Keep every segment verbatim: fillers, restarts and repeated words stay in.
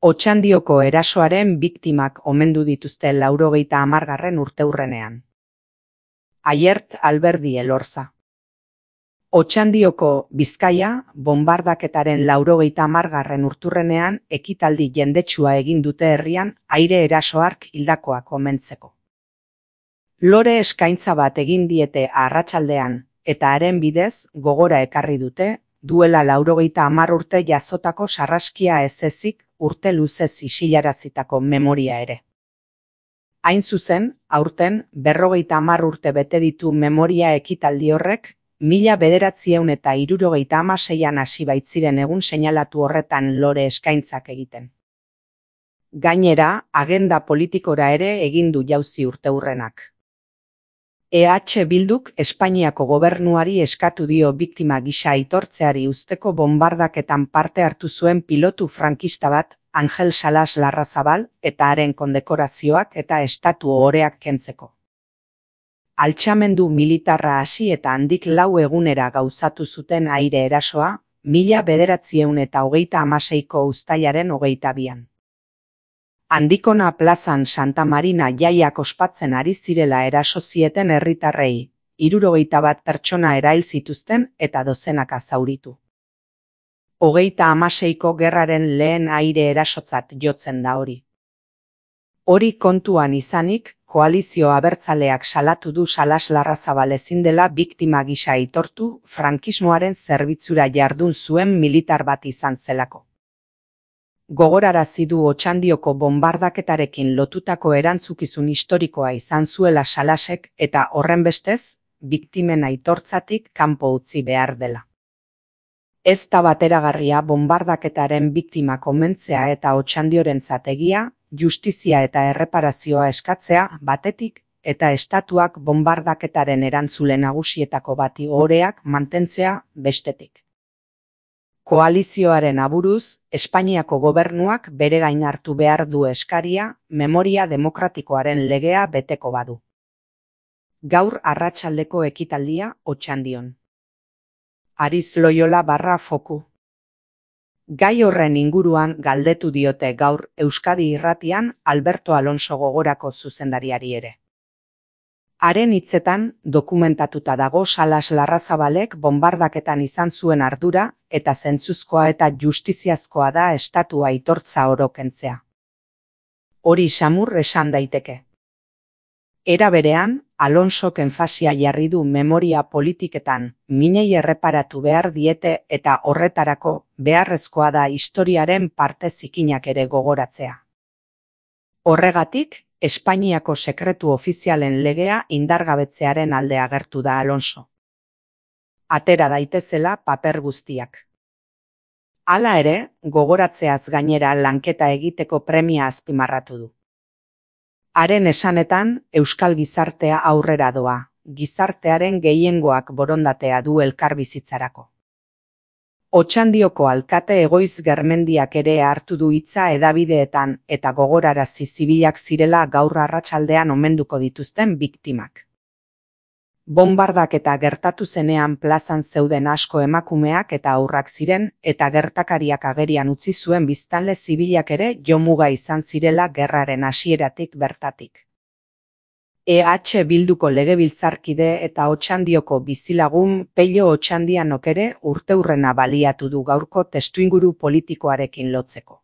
Otxandioko erasoaren biktimak omendu dituzte laurogeita hamargarren urteurrenean. Aiert Alberdi Elorza. Otxandioko Bizkaia bonbardaketaren laurogeita hamargarren urturrenean ekitaldi jendetsua egin dute herrian aire eraso hark hildakoak omentzeko. Lore eskaintza bat egin diete arratsaldean eta haren bidez gogora ekarri dute duela laurogeita hamar urte jazotako sarraskia ez ezik urte luzez isilarazitako memoria ere. Hain zuzen, aurten berrogeita hamar urte bete ditu memoria ekitaldi horrek, mila bederatziehun eta hirurogeita hamaseian hasi baitziren egun seinalatu horretan lore eskaintzak egiten. Gainera, agenda politikora ere egin du jauzi urteurrenak. E H Bilduk Espainiako gobernuari eskatu dio biktima gisa aitortzeari uzteko bonbardaketan parte hartu zuen pilotu frankista bat, Angel Salas Larrazabal, eta haren kondekorazioak eta estatu ohoreak kentzeko. Altxamendu militarra hasi eta handik lau egunera gauzatu zuten aire erasoa, mila bederatziehun eta hogeita hamaseiko uztailaren hogeita bian. Handikona plazan Santa Marina jaiak ospatzen ari zirela eraso zieten herritarrei, hirurogeita bat pertsona erail zituzten eta dozenaka zauritu. Hogeita hamaseiko gerraren lehen aire erasotzat jotzen da hori. Hori kontuan izanik, koalizio abertzaleak salatu du Salas Larrazabal ezin dela biktima gisa aitortu frankismoaren zerbitzura jardun zuen militar bat izan zelako. Gogorarazi du Otxandioko bonbardaketarekin lotutako erantzukizun historikoa izan zuela Salasek eta horrenbestez, biktimen aitortzatik kanpo utzi behar dela. Ez da bateragarria bonbardaketaren biktimak omentzea eta Otxandiorentzat egia, justizia eta erreparazioa eskatzea batetik eta estatuak bonbardaketaren erantzule nagusietako bati ohoreak mantentzea bestetik. Koalizioaren aburuz, Espainiako gobernuak bere gain hartu behar du eskaria, memoria demokratikoaren legea beteko badu. Gaur arratsaldeko ekitaldia Otxandion. Ariz Loyola barra foku. Gai horren inguruan galdetu diote gaur Euskadi Irratian Alberto Alonso Gogorako zuzendariari ere. Haren hitzetan dokumentatuta dago Salas Larrazabalek bonbardaketan izan zuen ardura eta zentzuzkoa eta justiziazkoa da estatua aitortza oro kentzea. Hori samur esan daiteke. Era berean, Alonsok enfasia jarri du memoria politiketan minei erreparatu behar diete eta horretarako beharrezkoa da historiaren parte zikinak ere gogoratzea. Horregatik, Espainiako sekretu ofizialen legea indargabetzearen alde agertu da Alonso. Atera daitezela paper guztiak. Hala ere, gogoratzeaz gainera lanketa egiteko premia azpimarratu du. Haren esanetan, euskal gizartea aurrera doa, gizartearen gehiengoak borondatea du elkarbizitzarako. Otxandioko alkate Egoiz Germendiak ere hartu du hitza hedabideetan eta gogorarazi zibilak zirela gaur arratsaldean omenduko dituzten biktimak. Bonbardaketa gertatu zenean plazan zeuden asko emakumeak eta haurrak ziren eta gertakariak agerian utzi zuen biztanle zibilak ere jomuga izan zirela gerraren hasieratik bertatik. E H Bilduko legebiltzarkide eta Otxandioko bizilagun Pello Otxandianok ere urteurrena baliatu du gaurko testuinguru politikoarekin lotzeko.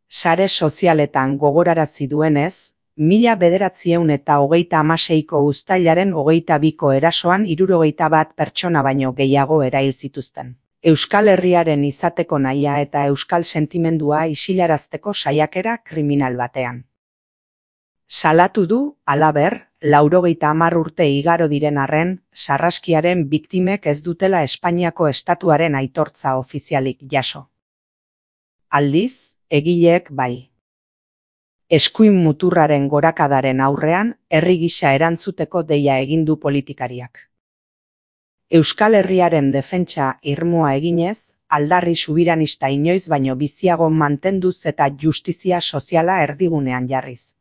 Sare sozialetan gogorarazi duenez, mila bederatziehun eta hogeita hamaseiko uztailaren hogeita biko erasoan hirurogeita bat pertsona baino gehiago erail zituzten. Euskal Herriaren izateko nahia eta euskal sentimendua isilarazteko saiakera kriminal batean. Salatu du, halaber, laurogeita hamar urte igaro diren arren, sarraskiaren biktimek ez dutela Espainiako estatuaren aitortza ofizialik jaso. Aldiz, egileek bai. Eskuin muturraren gorakadaren aurrean, herri gisa erantzuteko deia egin du politikariak. Euskal Herriaren defentsa irmoa eginez, aldarri subiranista inoiz baino biziago mantenduz eta justizia soziala erdigunean jarriz.